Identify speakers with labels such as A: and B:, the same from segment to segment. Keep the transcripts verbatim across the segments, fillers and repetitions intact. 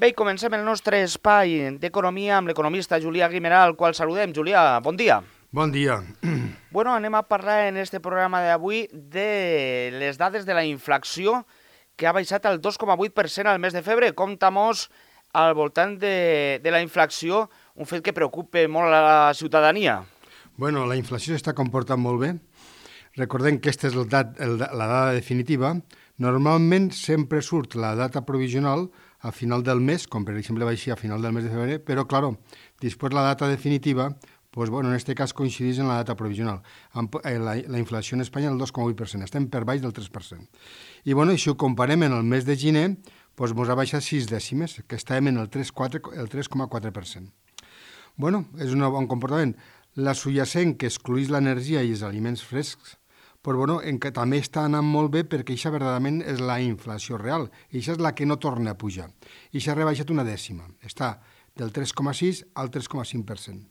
A: Bé, i comencem el nostre espai d'economia amb l'economista Julià Guimerà, al qual saludem. Julià, bon dia.
B: Bon dia.
A: Bueno, anem a parlar en este programa d'avui de les dades de la inflació, que ha baixat al dos coma vuit per cent al mes de febrer. Compta-mos al voltant de, de la inflació, un fet que preocupa molt a la ciutadania.
B: Bueno, la inflació s'està comportant molt bé. Recordem que aquesta és el dat, el, la dada definitiva. Normalment sempre surt la data provisional a final del mes, com per exemple va així a final del mes de febrer, però, claro, després la data definitiva, pues, bueno, en aquest cas coincideix en la data provisional. La, la inflació en Espanya és el dos coma vuit per cent, estem per baix del tres per cent. I, bueno, si ho comparem en el mes de gener, pues, ens ha baixat sis dècimes, que estàvem en el tres coma quatre per cent. Bueno, és un bon comportament. La subjacent, que excluïs l'energia i els aliments frescs, però bueno, en que també està anant molt bé perquè això verdaderament és la inflació real. I això és la que no torna a pujar. I s'ha rebaixat una dècima. Està del tres coma sis al tres coma cinc per cent.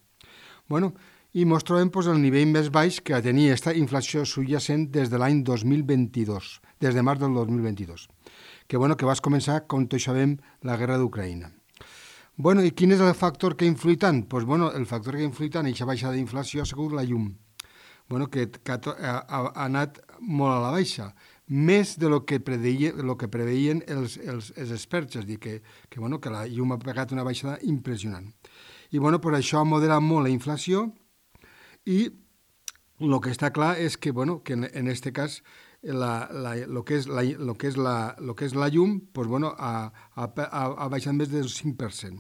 B: Bueno, i ens trobem pues, el nivell més baix que tenia aquesta inflació subjacent des de l'any dos mil vint-dos, des de març del dos mil vint-dos, que, bueno, que va començar, com tots sabem, la guerra d'Ucraïna. Bueno, i quin és el factor que ha influït tant? Pues, bueno, el factor que ha influït tant i aquesta baixada d'inflació ha sigut la llum. Bueno, que, que ha, ha, ha anat molt a la baixa, més de lo que, predeia, lo que preveien els, els, els experts, és a dir, que, que, bueno, que la llum ha pegat una baixada impressionant. I bueno, per això ha moderat molt la inflació i el que està clar és que, bueno, que en, en este cas la, la, lo, que és la, lo, que és la, lo que és la llum pues, bueno, ha, ha, ha baixat més del cinc per cent.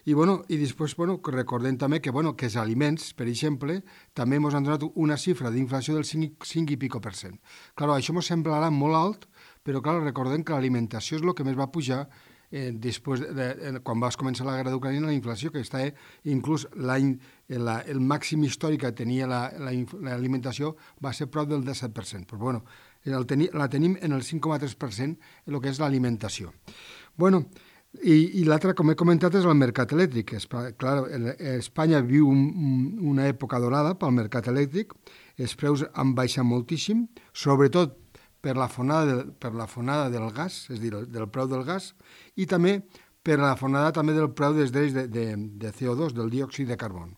B: I, bueno, i després bueno, recordem també que, bueno, que els aliments, per exemple, també ens han donat una xifra d'inflació del cinc i pico per cent. Clar, això ens semblarà molt alt, però clar, recordem que l'alimentació és el que més va pujar eh, després de, de, quan va començar la guerra d'Ucraïna, la inflació, que està eh, inclús l'any, la, el màxim històric que tenia l'alimentació la, la va ser prop del disset per cent. Però, bueno, el teni, la tenim en el cinc coma tres per cent el que és l'alimentació. Bueno, I, i l'altre, com he comentat, és el mercat elèctric. Clar, Espanya viu un, una època dorada pel mercat elèctric, els preus han baixat moltíssim, sobretot per la fonada, de, per la fonada del gas, és a dir, del preu del gas, i també per la fonada també del preu dels drets de, de, de C O dos, del diòxid de carboni.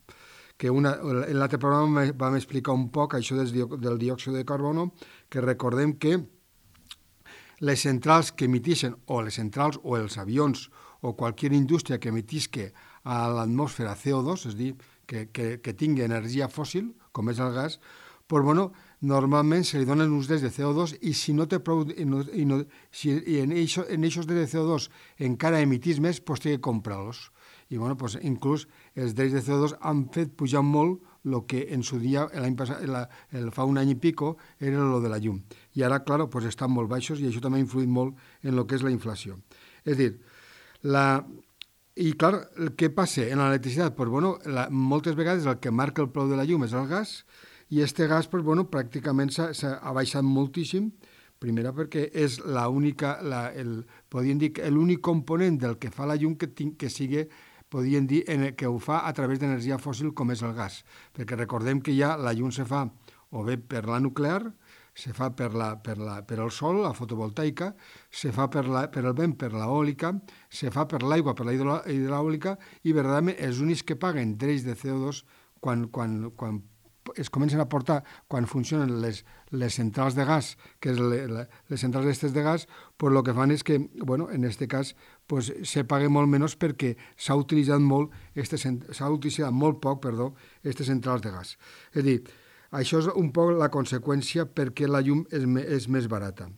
B: Que una, en l'altre programa vam explicar un poc això del, del diòxid de carboni, que recordem que les centrals que emitixen, o les centrals o els avions, o qualsevol indústria que emetisque a l'atmosfera C O dos, és a dir, que, que, que tingui energia fòssil, com és el gas, pues, bueno, normalment se li donen uns drets de C O dos i si no té prou, i, no, i, no, si, i en aquests drets de C O dos encara emitís més, pues, té que comprar-los. I bueno, pues, inclús els drets de C O dos han fet pujar molt el que en su dia, l'any passat, la, el, fa un any i pico, era lo de la llum. I ara, clar, pues, estan molt baixos i això també ha influït molt en el que és la inflació. És dir, la... I clar, què passa en l'electricitat? Pues, bueno, la, moltes vegades el que marca el preu de la llum és el gas i este gas, pues, bueno, pràcticament s'ha baixat moltíssim, primera perquè és l'única, la, el, podríem dir, l'únic component del que fa la llum que, tinc, que sigui podríem dir que ho fa a través d'energia fòssil com és el gas, perquè recordem que ja la llum se fa o bé per la nuclear, se fa per, la, per, la, per el sol, la fotovoltaica, se fa per, la, per el vent, per l'eòlica, se fa per l'aigua, per la hidràulica, i verdaderament els únics que paguen drets de C O dos quan, quan, quan es comencen a portar, quan funcionen les, les centrals de gas, que és le, le, les centrals d'estes de gas, pues el que fan és que, bueno, en aquest cas, pues, se pague molt menys perquè s'ha utilitzat molt, s'ha utilitzat molt poc, perdó, aquestes centrals de gas. És a dir, això és un poc la conseqüència perquè la llum és, és més barata.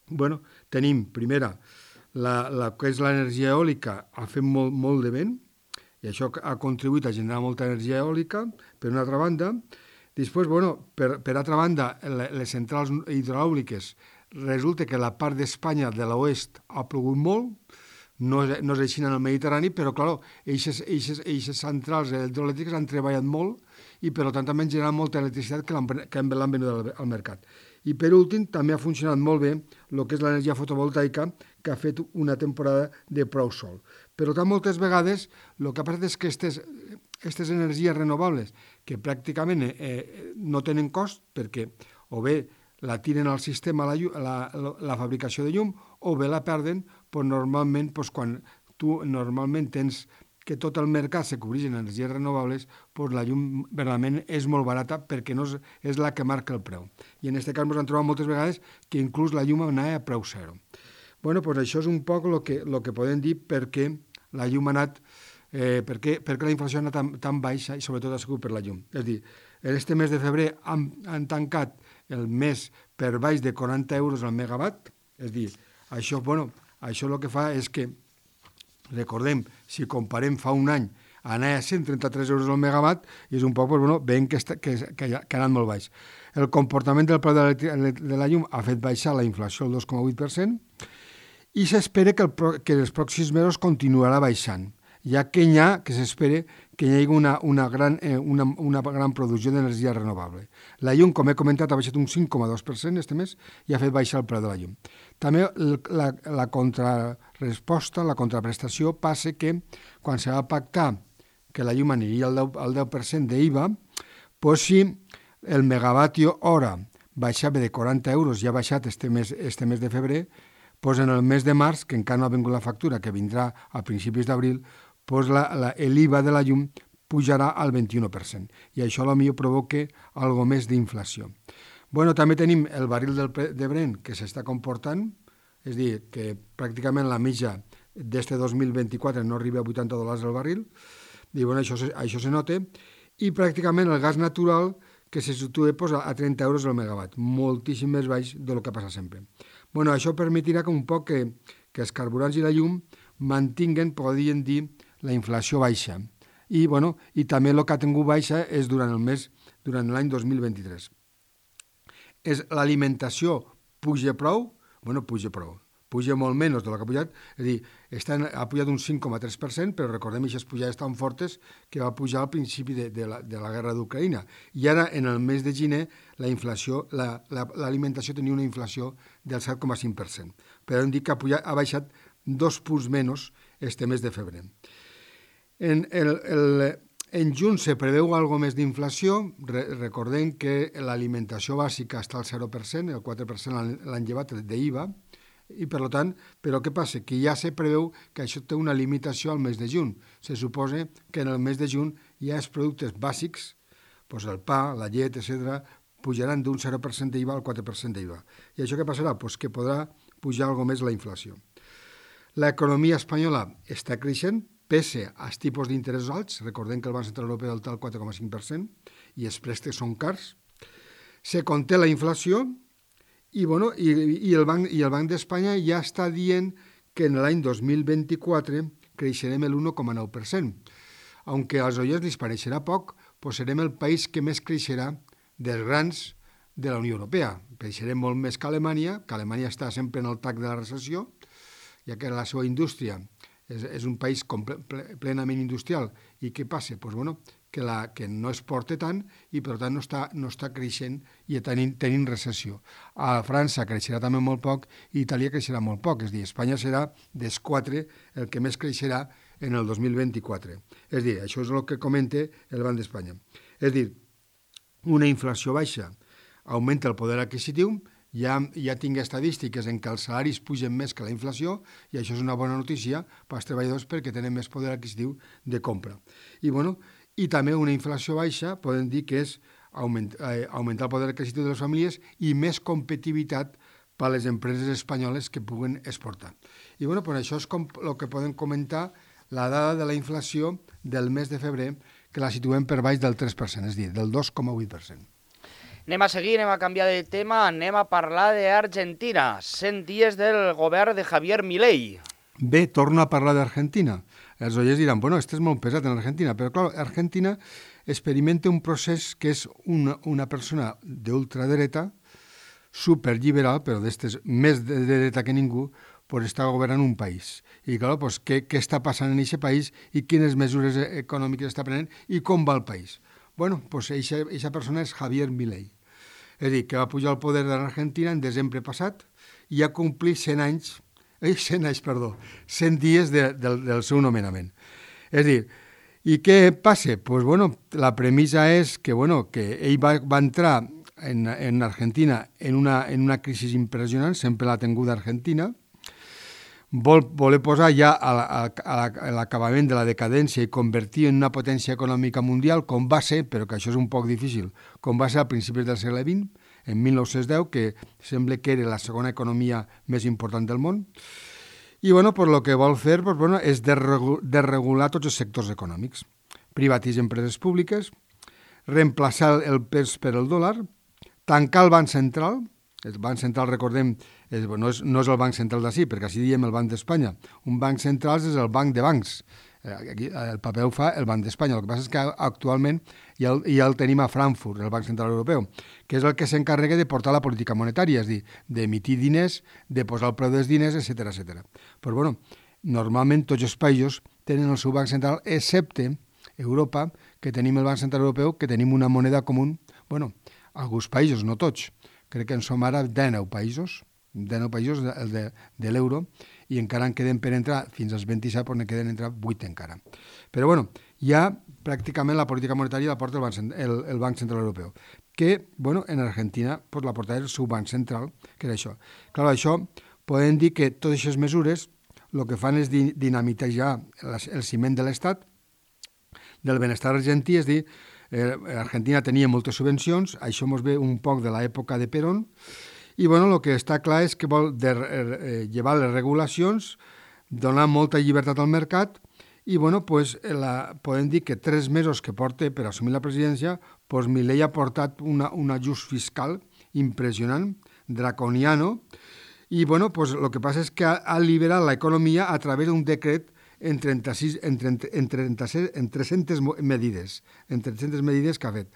B: Bueno, tenim, primera, la, la que és l'energia eòlica, ha fet molt, molt de vent, i això ha contribuït a generar molta energia eòlica, per una altra banda. Després, bueno, per, per altra banda, les centrals hidràuliques, resulta que la part d'Espanya de l'oest ha plogut molt, no és, no és així en el Mediterrani, però, clar, aquestes centrals hidroelèctriques han treballat molt i, per tant, també han generat molta electricitat que l'han venut al, al mercat. I, per últim, també ha funcionat molt bé el que és l'energia fotovoltaica, que ha fet una temporada de prou sol. Però que moltes vegades el que ha passat és que aquestes energies renovables, que pràcticament eh, no tenen cost, perquè o bé la tiren al sistema la, la, la, la fabricació de llum, o bé la perden, doncs normalment doncs, quan tu normalment tens que tot el mercat se cobreix en energies renovables, doncs la llum realment és molt barata perquè no és, és la que marca el preu. I en aquest cas ens hem trobat moltes vegades que inclús la llum anava a preu zero. Bueno, doncs això és un poc el que, lo que podem dir perquè la llum ha anat, eh, perquè, perquè la inflació ha anat tan, tan baixa i sobretot ha sigut per la llum. És a dir, en este mes de febrer han, han tancat el mes per baix de quaranta euros al megawatt, és a dir, això, bueno, això el que fa és que, recordem, si comparem fa un any, anar a cent trenta-tres euros al megawatt i és un poc, bueno, veiem que, està, que, que, que ha anat molt baix. El comportament del preu de la, de la llum ha fet baixar la inflació al dos coma vuit per cent i s'espera que, el, que els pròxims mesos continuarà baixant, ja que hi ha, que s'espera que hi hagi una, una, gran, eh, una, una gran producció d'energia renovable. La llum, com he comentat, ha baixat un cinc coma dos per cent este mes i ha fet baixar el preu de la llum. També la, la contrarresposta, la contraprestació, passa que quan se va pactar que la llum aniria al deu, al deu per cent d'I V A, doncs si el megavatio hora baixava de quaranta euros i ha baixat este mes, este mes de febrer, doncs en el mes de març, que encara no ha vingut la factura, que vindrà a principis d'abril, doncs l'I V A de la llum pujarà al vint-i-u per cent i això potser provoca algo més d'inflació. Bueno, també tenim el barril del, de Brent que s'està comportant, és a dir, que pràcticament la mitja d'este dos mil vint-i-quatre no arriba a vuitanta dòlars el barril, i bueno, això, això se nota, i pràcticament el gas natural que se situa pues, a trenta euros el megawatt, moltíssim més baix del que passa sempre. Bueno, això permetirà que un poc que, que els carburants i la llum mantinguen, podríem dir, la inflació baixa. I, bueno, i també el que ha tingut baixa és durant el mes, durant l'any dos mil vint-i-tres. És l'alimentació puja prou? Bueno, puja prou. Puja molt menys del que ha pujat, és a dir, està, ha pujat un cinc coma tres per cent, però recordem que aquestes pujades tan fortes que va pujar al principi de, de, la, de la guerra d'Ucraïna. I ara, en el mes de gener, la inflació, la, la, l'alimentació tenia una inflació del set coma cinc per cent. Però hem dit que ha, pujat, ha baixat dos punts menys este mes de febrer. En, el, el, en juny se preveu algo més d'inflació. Re, recordem que l'alimentació bàsica està al zero per cent, el quatre per cent l'han llevat d'I V A, i per tant, però què passa? Que ja se preveu que això té una limitació al mes de juny. Se suposa que en el mes de juny ja els productes bàsics, doncs el pa, la llet, etcètera, pujaran d'un zero per cent d'I V A al quatre per cent d'I V A. I això què passarà? Doncs que podrà pujar algo més la inflació. L'economia espanyola està creixent, pese als tipus d'interès alts, recordem que el Banc Central Europeu està al quatre coma cinc per cent i els préstecs són cars. Se conté la inflació i, bueno, i, i el Banc, i el Banc d'Espanya ja està dient que en l'any dos mil vint-i-quatre creixerem l'u coma nou per cent. Aunque als oients li pareixerà poc, doncs serem el país que més creixerà dels grans de la Unió Europea. Creixerem molt més que Alemanya, que Alemanya està sempre en el tac de la recessió, ja que la seva indústria és, és un país comple, plenament industrial. I què passa? Doncs, bueno, que, la, que no exporta tant i per tant no està, no està creixent i tenint, tenint recessió. A França creixerà també molt poc i Itàlia creixerà molt poc. És a dir, Espanya serà dels quatre el que més creixerà en el dos mil vint-i-quatre. És a dir, això és el que comenta el Banc d'Espanya. És a dir, una inflació baixa augmenta el poder adquisitiu, ja, ja tinc estadístiques en què els salaris pugen més que la inflació i això és una bona notícia per als treballadors perquè tenen més poder adquisitiu de compra. I, bueno, i també una inflació baixa podem dir que és augment, eh, augmentar el poder adquisitiu de les famílies i més competitivitat per a les empreses espanyoles que puguen exportar. I bueno, pues això és com, el que podem comentar la dada de la inflació del mes de febrer, que la situem per baix del tres per cent, és a dir, del dos coma vuit per cent.
A: Anem a seguir, anem a canviar de tema, anem a parlar d'Argentina. cent dies del govern de Javier Milei.
B: Bé, torno a parlar d'Argentina. Els oients diran, bueno, este és molt pesat en Argentina, però clar, Argentina experimenta un procés que és una, una persona d'ultradreta, superliberal, però d'estes més de dreta que ningú, pues està governant un país. I clar, pues, què, què està passant en aquest país i quines mesures econòmiques està prenent i com va el país. Bueno, pues aquesta persona és Javier Milei. És a dir, que va pujar al poder de l'Argentina en desembre passat i ha complit cent anys, eh, cent anys, perdó, cent dies de, de, del seu nomenament. És a dir, i què passa? Pues bueno, la premissa és que, bueno, que ell va, va entrar en, en Argentina en una, en una crisi impressionant, sempre l'ha tingut Argentina. vol voler posar ja a la- a la- a l'acabament de la decadència i convertir en una potència econòmica mundial, com va ser, però que això és un poc difícil, com va ser a principis del segle vint, en mil nou-cents deu, que sembla que era la segona economia més important del món. I bueno, pues, el que vol fer pues, bueno, és desregu- desregular tots els sectors econòmics, privatitzar empreses públiques, reemplaçar el pes per el dòlar, tancar el Banc Central. El Banc Central, recordem, és, no, és, no és el Banc Central d'ací, perquè així diem el Banc d'Espanya. Un banc central és el banc de bancs. Eh, Aquí, el paper ho fa el Banc d'Espanya. El que passa és que actualment ja el, ja el tenim a Frankfurt, el Banc Central Europeu, que és el que s'encarrega de portar la política monetària, és a dir, d'emitir diners, de posar el preu dels diners, etcètera, etcètera. Però, bueno, normalment tots els països tenen el seu Banc Central, excepte Europa, que tenim el Banc Central Europeu, que tenim una moneda comú. Bueno, alguns països, no tots. Crec que en som ara dinou països, dinou països de, de, de l'euro, i encara en queden per entrar, fins als vint-i-set, però ne queden entrar vuit encara. Però, bueno, ja pràcticament la política monetària la porta el Banc, el, el Banc Central Europeu, que, bueno, en Argentina pues, la porta el seu Banc Central, que era això. Clar, això podem dir que totes aquestes mesures el que fan és di, dinamitar el ciment de l'Estat, del benestar argentí, és dir, eh, Argentina tenia moltes subvencions, això mos ve un poc de l'època de Perón, i bueno, el que està clar és que vol de, eh, llevar les regulacions, donar molta llibertat al mercat, i bueno, pues, la, podem dir que tres mesos que porta per assumir la presidència, pues, Milei ha portat una, un ajust fiscal impressionant, draconiano, i bueno, pues, el que passa és que ha, ha liberat l'economia a través d'un decret en, trenta-sis, en, trenta, en, trenta-sis, en tres-centes medides, en tres-centes medides que ha fet.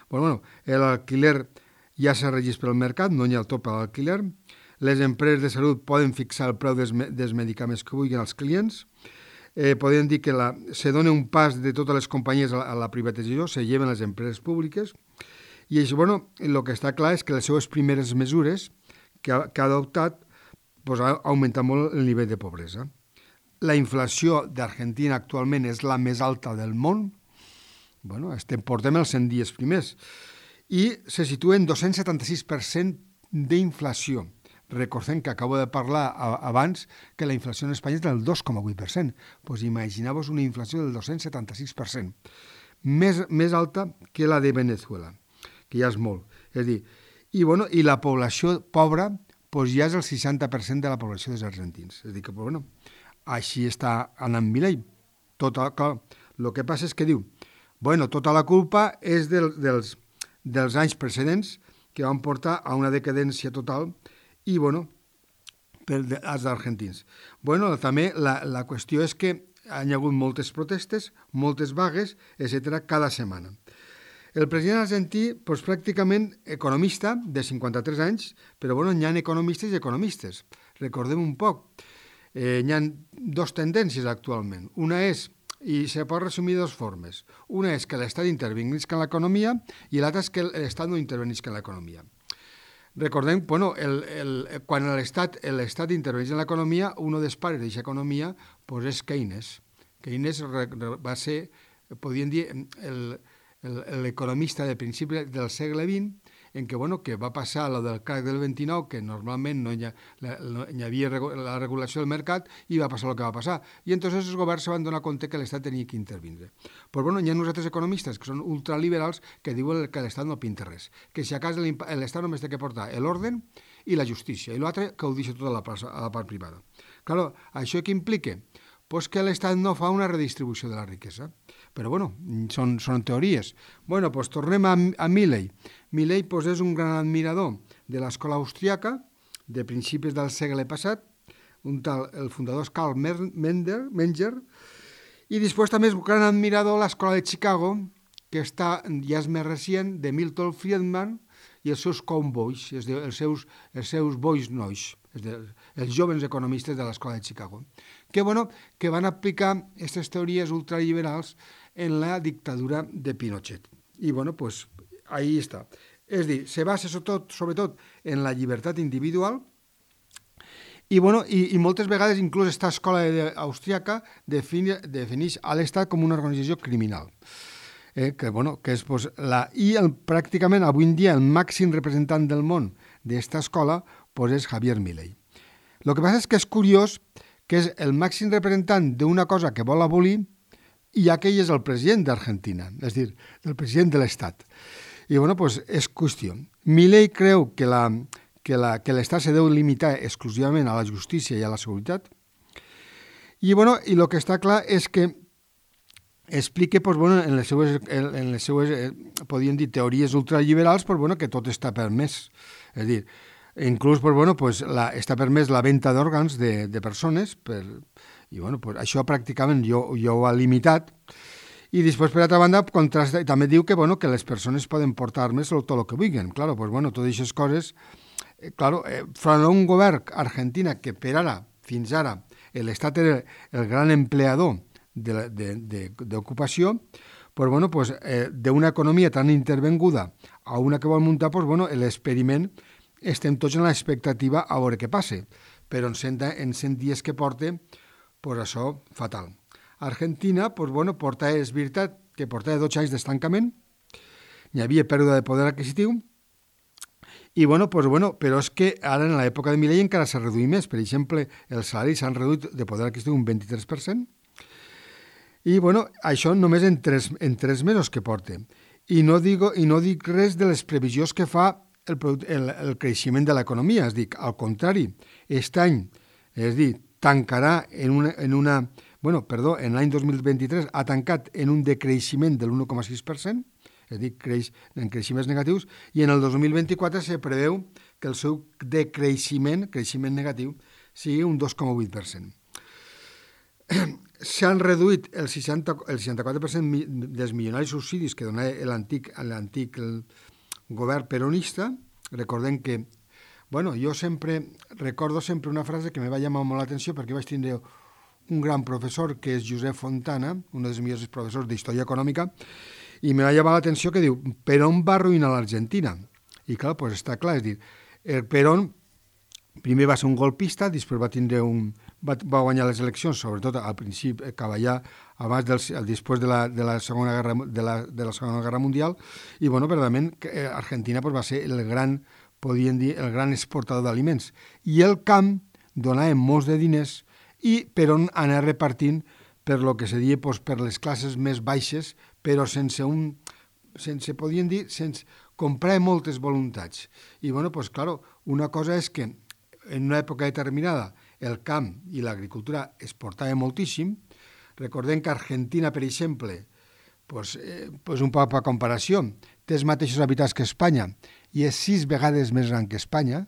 B: Bueno, bueno, l'alquiler ja s'ha regit pel mercat, no hi ha el top a l'alquiler, les empreses de salut poden fixar el preu dels, dels medicaments que vulguin als clients, eh, podem dir que la, se dona un pas de totes les companyies a la, a la privatització, se lleven les empreses públiques, i això, bueno, el que està clar és que les seues primeres mesures que ha, que ha adoptat pues, ha augmentat molt el nivell de pobresa. La inflació d'Argentina actualment és la més alta del món. Bueno, estem, portem els cent dies primers. I se situa en dos-cents setanta-sis per cent d'inflació. Recordem que acabo de parlar abans que la inflació en Espanya és del dos coma vuit per cent. Pues imagineu-vos una inflació del dos-cents setanta-sis per cent. Més, més alta que la de Venezuela, que ja és molt. És a dir, i, bueno, i la població pobra pues ja és el seixanta per cent de la població dels argentins. És a dir, que, bueno, així està anant Milei. Tota, clar, el que passa és que diu, bueno, tota la culpa és del, dels, dels anys precedents que van portar a una decadència total i, bueno, per als argentins. Bueno, també la, la qüestió és que hi ha hagut moltes protestes, moltes vagues, etcètera, cada setmana. El president argentí, doncs, pràcticament economista, de cinquanta-tres anys, però, bueno, hi ha economistes i economistes. Recordem un poc. Eh, hi ha dues tendències actualment. Una és, i se pot resumir de dues formes, una és que l'Estat intervinguisca en l'economia i l'altra és que l'Estat no intervinguisca en l'economia. Recordem, bueno, el, el, quan l'Estat interveneix en l'economia, un dels pares d'aquesta economia pues, és Keynes. Keynes va ser, podríem dir, l'economista de principi del segle vint, en què, bueno, que va passar lo del crac del vint-i-nou, que normalment no hi, ha, no hi havia la regulació del mercat, i va passar el que va passar. I entonces els governs se van donar compte que l'Estat tenia que intervindre. Però bueno, hi ha uns altres economistes que són ultraliberals que diuen que l'Estat no pinta res, que si a casa l'Estat només té que portar l'ordre i la justícia, i l'altre que ho deixa tot a la, part, a la part privada. Clar, això què implica? Pues que l'Estat no fa una redistribució de la riquesa. Però, bueno, són, són teories. Bueno, doncs tornem a, a Milei. Milei pues, és un gran admirador de l'escola austríaca de principis del segle passat, un tal, el fundador és Karl Menger, Menger, i després també és un gran admirador de l'escola de Chicago, que està, ja és més recient, de Milton Friedman i els seus cowboys, és dir, els seus, els seus boys nois, és dir, els jovens economistes de l'escola de Chicago, que, bueno, que van aplicar aquestes teories ultraliberals en la dictadura de Pinochet. I, bueno, pues, ahí està. És dir, se basa sobretot, sobretot en la llibertat individual i, bueno, i, i moltes vegades inclús aquesta escola austríaca defineix a l'Estat com una organització criminal. Eh, que, bueno, que és, pues, la, i el, pràcticament avui en dia el màxim representant del món d'aquesta escola pues, és Javier Milei. El que passa és que és curiós que és el màxim representant d'una cosa que vol abolir, i aquell és el president d'Argentina, és a dir, el president de l'Estat. I, bueno, doncs és qüestió. Milei creu que la, que la, que l'Estat se deu limitar exclusivament a la justícia i a la seguretat. I, bueno, i el que està clar és que explica, pues, bueno, en les seues, en les seues eh, podríem dir, teories ultraliberals, pues, bueno, que tot està permès. És a dir, inclús, pues, bueno, pues, la, està permès la venda d'òrgans de, de persones, per, i bueno, pues, això pràcticament jo, jo ho ha limitat. I després, per altra banda, contrasta, també diu que, bueno, que les persones poden portar armes tot el que vulguin. Claro, pues, bueno, totes aquestes coses, eh, claro, eh, front a un govern argentina que per ara, fins ara, l'Estat era el gran empleador d'ocupació, pues, bueno, pues, eh, d'una economia tan intervenguda a una que vol muntar, pues, bueno, l'experiment estem tots en l'expectativa a veure què passa, però en cent, en cent dies que porta, pues això, fatal. Argentina, pues, bueno, porta, és veritat que portava dotze anys d'estancament, hi havia pèrdua de poder adquisitiu, i, bueno, pues, bueno, però és que ara en l'època de Milei encara s'ha reduït més. Per exemple, els salaris s'han reduït de poder adquisitiu un vint-i-tres per cent, i, bueno, això només en tres, en tres mesos que porta. I no, digo, I no dic res de les previsions que fa el, el, el creixement de l'economia. És dir, al contrari, aquest any, és dir, tancarà en una, en una bueno, perdó, en l'any dos mil vint-i-tres ha tancat en un decreixement de l'u coma sis per cent, és a dir, creix en creixements negatius, i en el dos mil vint-i-quatre se preveu que el seu decreixement, creixement negatiu, sigui un dos coma vuit per cent. S'han reduït el, seixanta, el seixanta-quatre per cent dels milionaris subsidis que donava l'antic, l'antic govern peronista. Recordem que, bueno, jo sempre recordo sempre una frase que me va llamar molt l'atenció perquè vaig tindre un gran professor que és Josep Fontana, un dels millors professors d'història econòmica, i me va llamar l'atenció que diu, Perón va arruïnar l'Argentina. I clar, pues està clar, és dir, el Perón primer va ser un golpista, després va tindre un, va, va guanyar les eleccions, sobretot al principi, cavallar abans del, després de la, de, la segona guerra, de, la, de la Segona Guerra Mundial, i bueno, verdament, Argentina pues, va ser el gran, podríem dir, el gran exportador d'aliments. I el camp donava molts de diners i Perón anar repartint per lo que se diu pues, per les classes més baixes, però sense un, sense, podríem dir, sense comprar moltes voluntats. I, bueno, pues, claro, una cosa és que en una època determinada el camp i l'agricultura exportava moltíssim. Recordem que Argentina, per exemple, pues, eh, pues un poc per comparació, té els mateixos habitants que Espanya i és sis vegades més gran que Espanya,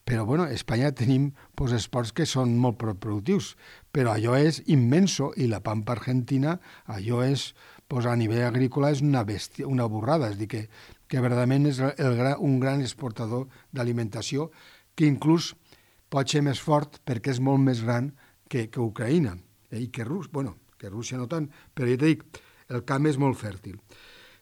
B: però, bueno, a Espanya tenim pues, esports que són molt productius, però allò és immenso i la pampa argentina, allò és, pues, a nivell agrícola, és una bèstia, una borrada, és a dir, que, que verdaderament és el, un gran exportador d'alimentació que inclús pot ser més fort perquè és molt més gran que, que Ucraïna, eh? I que Rússia, bueno, que Rússia no tant, però ja t'he dit, el camp és molt fèrtil.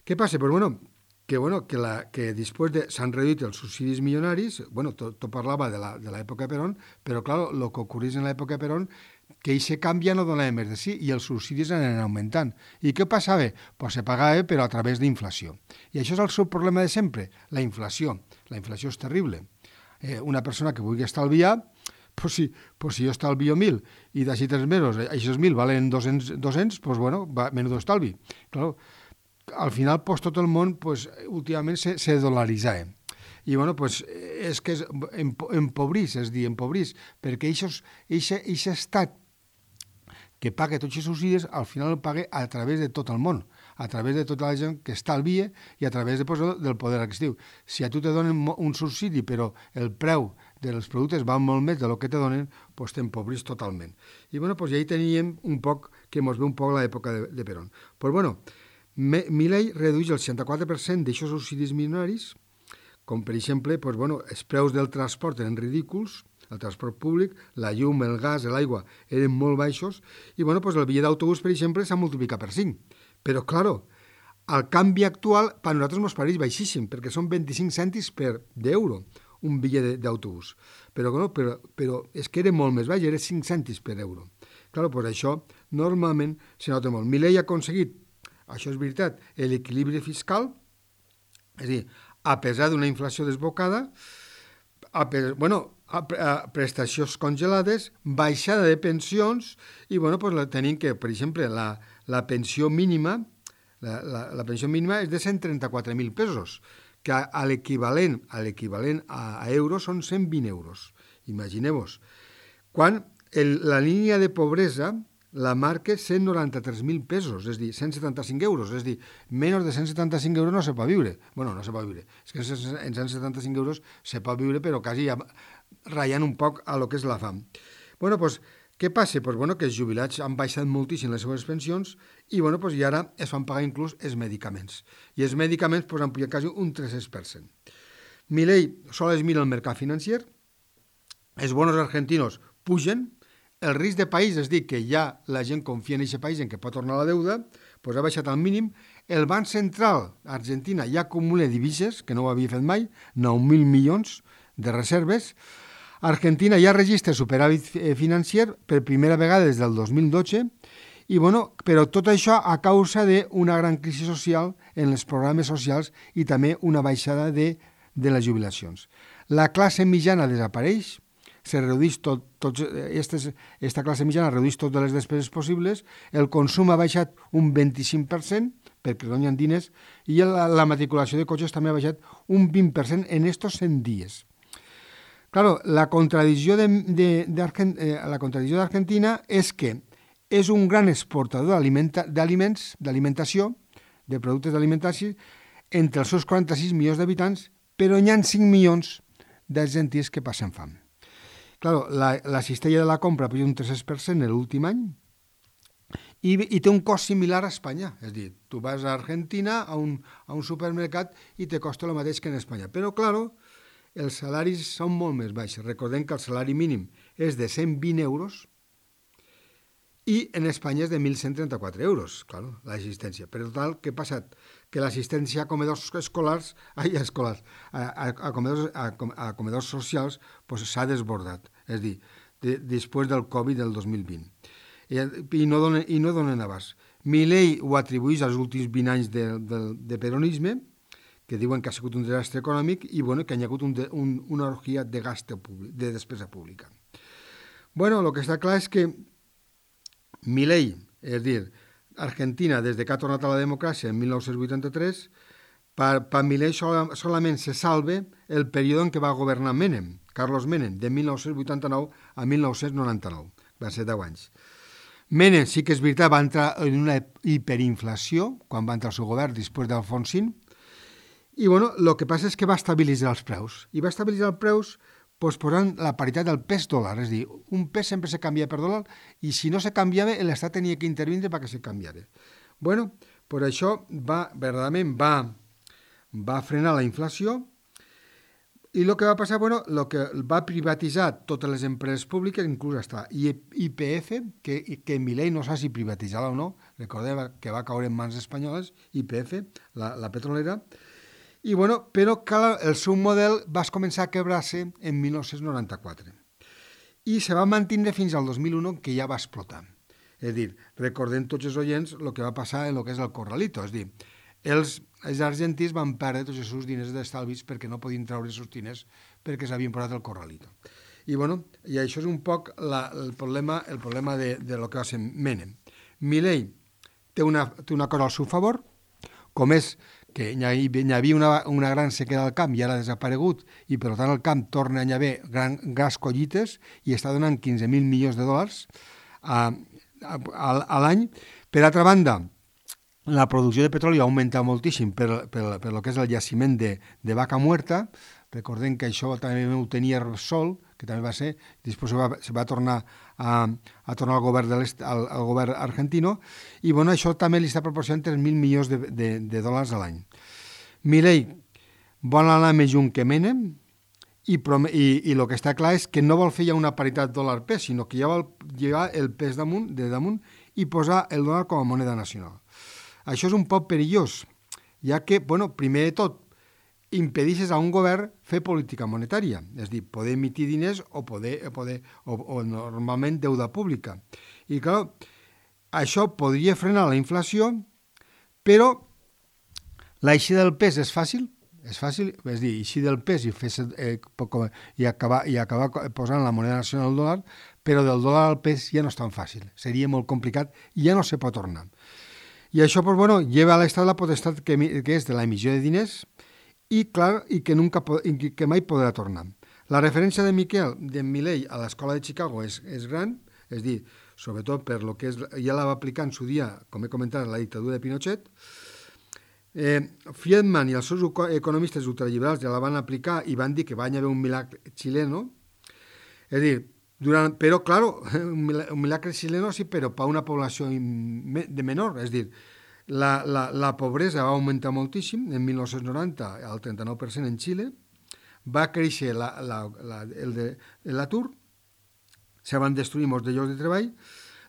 B: Què passa? Pues, bueno, que, bueno, que, la, que després de, s'han reduït els subsidis milionaris, bueno, tot, tot parlava de l'època de Perón, però, clar, el que ocorrís en l'època de Perón, que aquest canvi ja no donava més de sí i els subsidis anaven augmentant. I què passava? Pues se pagava, però a través d'inflació. I això és el seu problema de sempre, la inflació. La inflació és terrible. Eh, una persona que vulgui estalviar, pues si, pues si jo estalvio mil i d'així tres mesos, aquests mil valen dos-cents, dos-cents, pues bueno, va, menudo estalvi. Claro, al final, pues, tot el món, pues, últimament se, se dolaritzava. I, bueno, pues, és que és, empobrís, és dir, empobrís, perquè aquest estat que paga tots els subsidis, al final el paga a través de tot el món, a través de tota la gent que estalvia i a través de, pues, del poder adquisitiu. Si a tu te donen un subsidi, però el preu dels productes va molt més del que te donen, pues, t'empobrís totalment. I, bueno, pues, ja hi teníem un poc, que ens ve un poc l'època de, de Perón. Pues, bueno, Milei redueix el seixanta-quatre per cent d'aixòs subsidis milionaris, com per exemple, pues, bueno, els preus del transport eren ridículs, el transport públic, la llum, el gas, l'aigua eren molt baixos, i bueno, pues, el bitllet d'autobús, per exemple, s'ha multiplicat per cinc. Però, claro, el canvi actual per nosaltres ens pareix baixíssim, perquè són vint-i-cinc cèntims per d'euro un bitllet d'autobús. Però, bueno, però, però és que era molt més baix, era cinc cèntims per euro. Claro, pues això normalment se nota molt. Milei ha aconseguit, això és veritat, l'equilibri fiscal, és a dir, a pesar d'una inflació desbocada, a pesar, bueno, prestacions congelades, baixada de pensions i, bueno, pues, tenim que, per exemple, la, la pensió mínima, la, la, la pensió mínima és de cent trenta-quatre mil pesos, que a l'equivalent a l'equivalent a, a euros són cent vint euros. Imagineu-vos. Quan el, la línia de pobresa la marca cent noranta-tres mil pesos, és a dir, cent setanta-cinc euros, és a dir, menys de cent setanta-cinc euros no se pot viure. Bueno, no se pot viure. És que en cent setanta-cinc euros se pot viure, però quasi ja ratllant un poc a lo que és la fam. Bueno, doncs, què passa? Pues, bueno, que els jubilats han baixat moltíssim les seves pensions i, bueno, pues, i ara es fan pagar inclús els medicaments. I els medicaments pues, han pujat quasi un tres cents per cent. Milei sols mira el mercat financer, els bonos argentinos pugen, el risc de país, és dir, que ja la gent confia en aquest país, en què pot tornar la deuda, doncs ha baixat al mínim. El Banc Central Argentina ja acumula divises, que no ho havia fet mai, nou mil milions de reserves. Argentina ja registra superàvit financer per primera vegada des del dos mil dotze, i, bueno, però tot això a causa d'una gran crisi social en els programes socials i també una baixada de, de les jubilacions. La classe mitjana desapareix, se redueix tot, tots, estes, esta classe mitjana redueix totes les despeses possibles, el consum ha baixat un vint-i-cinc per cent, perquè donen diners, i la, la matriculació de cotxes també ha baixat un vint per cent en estos cent dies. Claro, la contradicció de, de, de eh, la contradicció d'Argentina és que és un gran exportador d'aliments, d'alimentació, de productes d'alimentació, entre els seus quaranta-sis milions d'habitants, però hi ha cinc milions d'argentins que passen fam. Claro, la, la cistella de la compra puja un tres cents per cent l'últim any i, i té un cost similar a Espanya. És a dir, tu vas a Argentina a un, a un supermercat i te costa el mateix que en Espanya. Però, claro, els salaris són molt més baixos. Recordem que el salari mínim és de cent vint euros i en Espanya és de mil cent trenta-quatre euros, claro, l'assistència. Per tant, què ha passat? Que l'assistència a comedors escolars, ai, a escolars, a, a, a, comedors, a, a comedors socials pues, s'ha desbordat, és a dir, de, després del Covid del dos mil vint. I, i, no donen, i no donen abast. Milei ho atribueix als últims vint anys de, de, de peronisme, que diuen que ha sigut un desastre econòmic i bueno, que hi ha hagut un, un, una orgia de gasto públic, de despesa pública. Bueno, el que està clar és que Milei, és a dir, Argentina, des que ha tornat a la democràcia en mil nou-cents vuitanta-tres, per, per Milei sol, solament se salve el període en què va governar Menem, Carlos Menem, de mil nou-cents vuitanta-nou a mil nou-cents noranta-nou, va ser deu anys. Menem, sí que és veritat, va entrar en una hiperinflació quan va entrar al seu govern després d'Alfonsín, i bueno, el que passa és que va estabilitzar els preus, i va estabilitzar els preus pues, posant la paritat del pes dòlar, és a dir, un pes sempre se canvia per dòlar i si no se canviava, l'Estat tenia que intervindre perquè se canviara. Bueno, per això va, verdaderament va, va frenar la inflació i el que va passar, bueno, el que va privatitzar totes les empreses públiques, inclús hasta I P F, que, que Milei no sap si privatitzar-la o no, recordeu que va caure en mans espanyoles, I P F, la, la petrolera. I, bueno, però clar, el seu model va començar a quebrar-se en mil nou-cents noranta-quatre i se va mantenir fins al dos mil u que ja va explotar. És a dir, recordem tots els oients el que va passar en el que és el corralito, és a dir, els, els argentins van perdre tots els seus diners d'estalvis perquè no podien treure els seus diners perquè s'havien posat el corralito. I, bueno, i això és un poc la, el problema, el problema de, de lo que va ser Menem. Milei té una, té una cosa al seu favor, com és que hi havia una, una gran sequera al camp i ara ha desaparegut i per tant el camp torna a haver gran, grans collites i està donant quinze mil milions de dòlars a, a, a, a l'any. Per altra banda, la producció de petroli ha augmentat moltíssim per, per, per lo que és el jaciment de, de Vaca Muerta. Recordem que això també ho tenia Repsol, que també va ser, després se va, se va tornar a, a tornar al govern, de al, al govern argentino, i bueno, això també li està proporcionant tres mil milions de, de, de dòlars a l'any. Milei vol anar més lluny que Menem, i, i, i el que està clar és que no vol fer ja una paritat dòlar-pes, sinó que ja vol llevar el pes damunt, de damunt i posar el dòlar com a moneda nacional. Això és un poc perillós, ja que, bueno, primer de tot, impedeixes a un govern fer política monetària, és a dir, poder emitir diners o, poder, poder, o, o normalment deuda pública. I clar, això podria frenar la inflació, però l'eixida del pes és fàcil, és fàcil, és dir, eixir del pes i, fer, eh, i, acabar, i acabar posant la moneda nacional al dòlar, però del dòlar al pes ja no és tan fàcil, seria molt complicat i ja no se pot tornar. I això, pues, bueno, lleva a l'Estat la potestat que, que és de l'emissió de diners i, clar, i que, nunca, i que mai podrà tornar. La referència de Miquel, de Milei a l'escola de Chicago és, és gran, és dir, sobretot per lo que és, ja la va aplicar en su dia, com he comentat, la dictadura de Pinochet. Eh, Friedman i els seus economistes ultraliberals ja la van aplicar i van dir que va haver un milagre xileno. És dir, durant, però, claro, un milagre xileno sí, però per una població de menor. És dir, la, la, la pobresa va augmentar moltíssim, en mil nou-cents noranta al trenta-nou per cent en Xile, va créixer la, la, la, el de, l'atur, se van destruir molts de llocs de treball,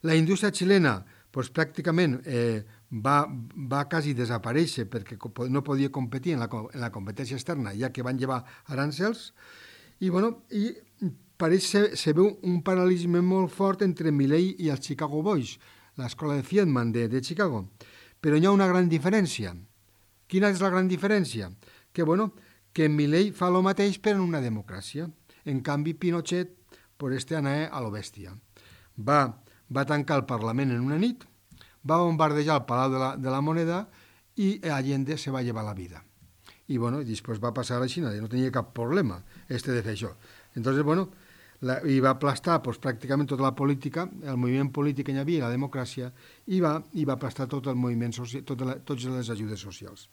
B: la indústria xilena pues, pràcticament eh, va, va quasi desaparèixer perquè no podia competir en la, en la competència externa, ja que van llevar arancels, i, bueno, i pareix ser, se veu un paral·lelisme molt fort entre Milei i els Chicago Boys, l'escola de Friedman de, de Chicago. Però hi ha una gran diferència. Quina és la gran diferència? Que, bueno, que Milei fa el mateix però en una democràcia. En canvi, Pinochet, per este anar a lo bèstia. Va, va tancar el Parlament en una nit, va bombardejar el Palau de la, de la Moneda i Allende se va llevar la vida. I, bueno, després va passar a la Xina, no tenia cap problema este de fer això. Entonces, bueno, la, i va aplastar pues, pràcticament tota la política, el moviment polític que hi havia, la democràcia, i va, i va aplastar tot el moviment social, tota la, totes les ajudes socials.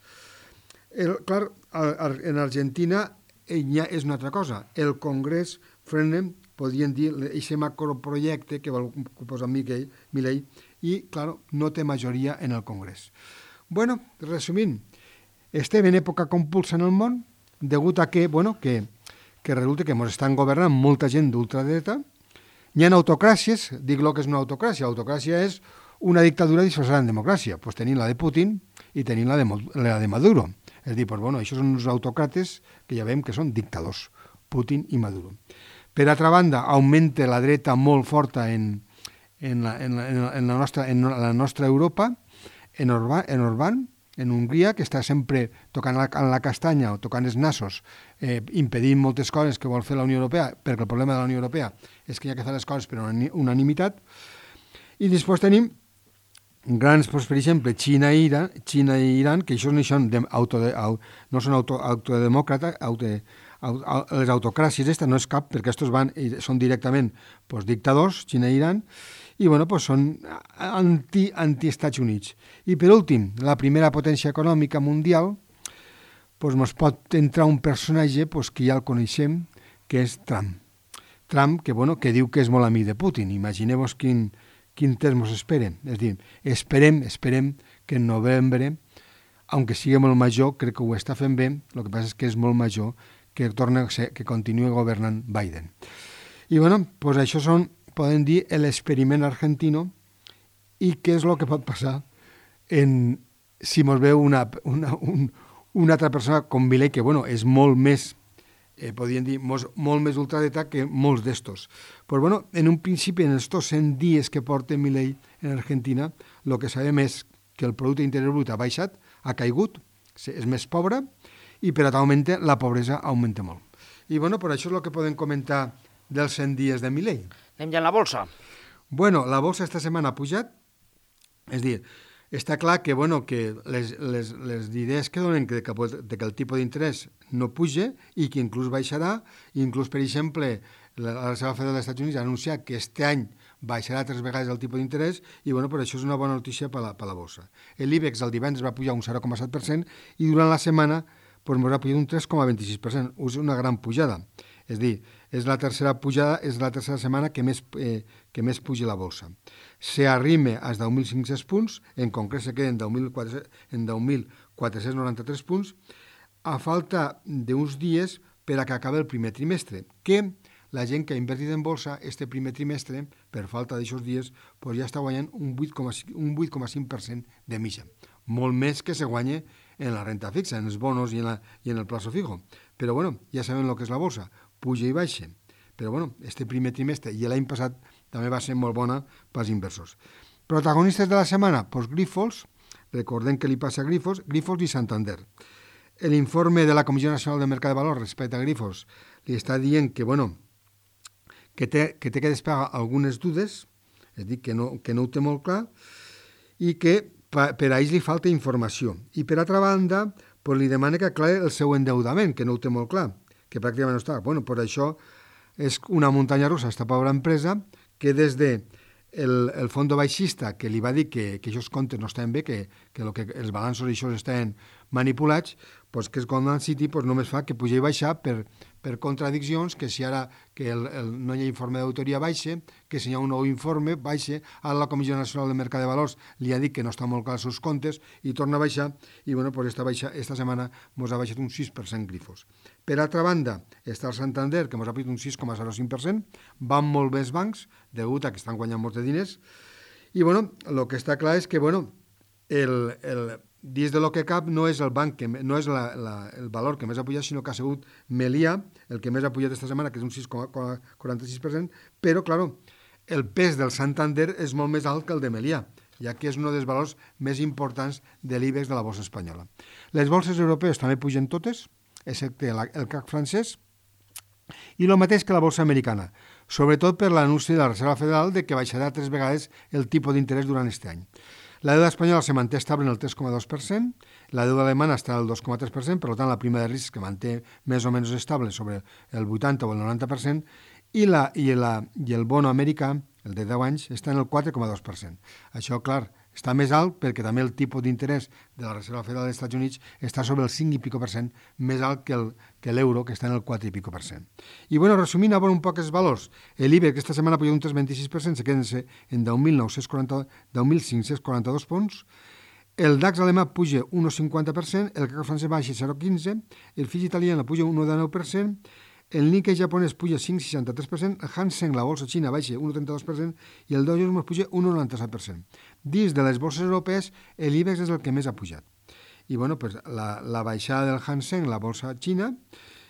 B: El, clar, en Argentina ja és una altra cosa. El Congrés frena, podríem dir, aquest macroprojecte que vol posar Milei i, clar, no té majoria en el Congrés. Bueno, resumint, estem en època compulsa en el món, degut a que, bueno, que, que resulta que ens estan governant molta gent d'ultradreta. Hi ha autocràcies, dic lo que és una autocràcia. Autocràcia és una dictadura disfressada en democràcia. Pues tenim la de Putin i tenim la de, la de Maduro. És dir, pues, bueno, això són uns autocrates que ja veiem que són dictadors, Putin i Maduro. Per altra banda, augmenta la dreta molt forta en, en, la, en, la, en, la, nostra, en la nostra Europa, en Orbán, en Orbán, en Hongria, que està sempre tocant la, la castanya o tocant els nassos, eh, impedint moltes coses que vol fer la Unió Europea, perquè el problema de la Unió Europea és que hi ha que fer les coses per unanimitat. I després tenim grans, doncs, per exemple, Xina i Iran, Xina i Iran que això no són, auto, no són auto, autodemòcrates, auto, les autocràcies estas no és cap, perquè estos van, són directament pues, dictadors, Xina i Iran, i bueno, pues, són anti, anti-Estats Units. I per últim, la primera potència econòmica mundial, pues, ens pot entrar un personatge pues, que ja el coneixem, que és Trump. Trump, que, bueno, que diu que és molt amic de Putin. Imagineu-vos quin, quin temps ens esperen. És dir, esperem, esperem que en novembre, aunque sigui molt major, crec que ho està fent bé, el que passa és que és molt major, que torna a ser, que continue governant Biden. I bueno, pues això són, podem dir, l'experiment argentino i què és el que pot passar en, si mos veu una, una, un, una altra persona com Milei, que bueno, és molt més, eh, podríem dir, mos, molt més ultradreta que molts d'estos. Pues bueno, en un principi, en estos cent dies que porta Milei en Argentina, el que sabem és que el producte interior brut ha baixat, ha caigut, és més pobre, i per augmentar la pobresa augmenta molt. I bueno, per això és el que podem comentar dels cent dies de Milei.
A: Anem ja en la bolsa.
B: Bueno, la bolsa esta setmana ha pujat, és dir, està clar que, bueno, que les, les, les idees que donen que, que, de que el tipus d'interès no puja i que inclús baixarà, inclús, per exemple, la, la Reserva Federal dels Estats Units ha anunciat que este any baixarà tres vegades el tipus d'interès i, bueno, per això és una bona notícia per la, per la bolsa. L'IBEX el divendres va pujar un zero coma set per cent i durant la setmana pues, ens ha pujat un tres coma vint-i-sis per cent. És una gran pujada. És dir, és la tercera pujada, és la tercera setmana que més, eh, que més puja la bolsa. Se arrima als deu mil cinc-cents punts, en concret se queden en deu mil quatre-cents noranta-tres punts, a falta d'uns dies per a que acabi el primer trimestre, que la gent que ha invertit en bolsa este primer trimestre, per falta d'aixòs dies, pues ja està guanyant un vuit coma cinc per cent de mitja. Molt més que se guanya en la renta fixa, en els bonos i en, la, i en el plazo fijo. Però bueno, ja sabem el que és la bolsa, puja i baixa. Però bueno, este primer trimestre i l'any passat també va ser molt bona pels inversors. Protagonistes de la setmana, doncs Grifols, recordem que li passa a Grifols, Grifols i Santander. l'informe de la Comissió Nacional del Mercat de Valors respecte a Grifos li està dient que, bueno, que té que, té que despegar algunes dudes, és a dir, que no, que no ho té molt clar, i que per a ells li falta informació. I per altra banda, pues, li demana que aclari el seu endeudament, que no ho té molt clar, que pràcticament no està. Bueno, per això és una muntanya russa, esta pobra empresa, que des de el, el fons baixista, que li va dir que, que aquests comptes no estaven bé, que, que, lo que els balanços i això estaven manipulats, pues, que és Goldman City pues, només fa que pujar i baixar per, per contradiccions, que si ara que el, el, no hi ha informe d'autoria baixa, que si hi ha un nou informe baixa, ara la Comissió Nacional del Mercat de Valors li ha dit que no està molt clar els seus comptes i torna a baixar, i bueno, pues esta, baixa, esta setmana ens ha baixat un sis per cent Grifos. Per altra banda, està el Santander, que ens ha baixat un sis coma zero cinc per cent, van molt bé els bancs, degut a que estan guanyant molts de diners, i bueno, el que està clar és que, bueno, el, el, dins de lo que cap no és el banc que no és la, la, el valor que més ha pujat, sinó que ha sigut Melià, el que més ha pujat esta setmana, que és un sis coma quaranta-sis per cent, però, clar, el pes del Santander és molt més alt que el de Melià, ja que és un dels valors més importants de l'IBEX de la borsa espanyola. Les borses europees també pugen totes, excepte la, el C A C francès, i el mateix que la borsa americana, sobretot per l'anunci de la Reserva Federal de que baixarà tres vegades el tipus d'interès durant aquest any. La deuda espanyola se manté estable en el tres coma dos per cent, la deuda alemana està al dos coma tres per cent, per tant la prima de risc que manté més o menys estable sobre el vuitanta o el noranta per cent, i, la, i, la, i el bono americà, el de deu anys, està en el quatre coma dos per cent. Això, clar, està més alt perquè també el tipus d'interès de la Reserva Federal dels Estats Units està sobre el cinc i pico per cent, més alt que, el, que l'euro, que està en el quatre i pico per cent. I, bueno, resumint a un poc els valors, l'IBEX aquesta setmana ha pujat un tres coma vint-i-sis per cent, se queden en deu mil cinc-cents quaranta-dos punts, el DAX alemà puja un coma cinquanta per cent, el C A C francès baixa zero coma quinze, el F I italià puja un coma dinou per cent, el Nikkei japonès puja cinc coma seixanta-tres per cent, el Hang Seng, la bolsa xina, baixa un coma trenta-dos per cent i el Dow Jones puja un coma noranta-set per cent. Dins de les borses europees, l'IBEX és el que més ha pujat. I bueno, pues, la, la baixada del Hang Seng, la bolsa xina,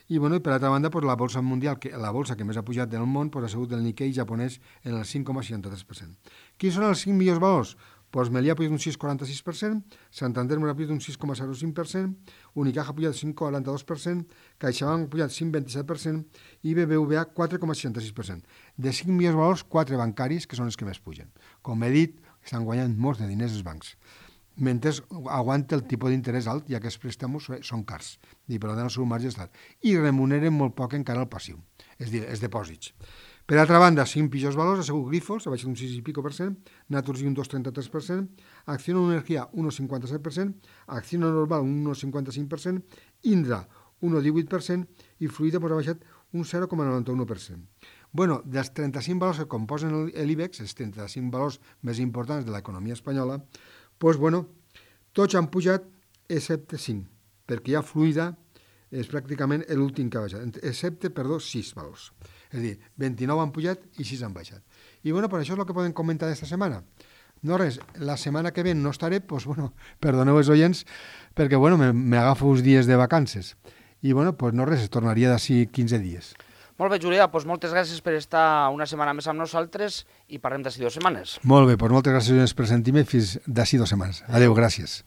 B: i, bueno, i per altra banda, pues, la bolsa mundial, que, la bolsa que més ha pujat del món, pues, ha sigut el Nikkei japonès en el cinc coma seixanta-tres per cent. Quins són els cinc millors valors? Pues Melià ha pujat un sis coma quaranta-sis per cent, Santander ha pujat un sis coma zero cinc per cent, Unicaja ha pujat cinc coma quaranta-dos per cent, CaixaBank ha pujat cinc coma vint-i-set per cent i B B V A quatre coma seixanta-sis per cent. De cinc millors valors, quatre bancaris, que són els que més pugen. Com he dit, estan guanyant molts de diners els bancs, mentre aguanta el tipus d'interès alt, ja que els préstamos són cars, i per tant el seu marge està alt, i remuneren molt poc encara el passiu, és a dir, els depòsits. Per altra banda, cinc pitjors valors, ha sigut Grifos, ha baixat un sis i pico per cent, Naturgy un dos coma trenta-tres per cent, Acciona Energía un coma cinquanta-set per cent, Acciona Normal un un coma cinquanta-cinc per cent, Indra un coma divuit per cent i Fluida pues, ha baixat un zero coma noranta-u per cent. Bueno, dels trenta-cinc valors que composen l'IBEX, els trenta-cinc valors més importants de l'economia espanyola, pues, bueno, tots han pujat excepte cinc, perquè ja Fluida és pràcticament l'últim que ha baixat, excepte, perdó, sis valors. És a dir, vint-i-nou han pujat i sis han baixat. I bueno, per això és el que podem comentar d'esta setmana. No res, la setmana que ve no estaré, doncs bueno, perdoneu els oients, perquè bueno, m'agafo uns dies de vacances. I bueno, doncs no res, es tornaria d'ací quinze dies.
A: Molt bé, Julià, doncs moltes gràcies per estar una setmana més amb nosaltres i parlem d'ací dues setmanes.
B: Molt bé, doncs moltes gràcies per sentir-me fins d'ací dues setmanes. Adéu, gràcies.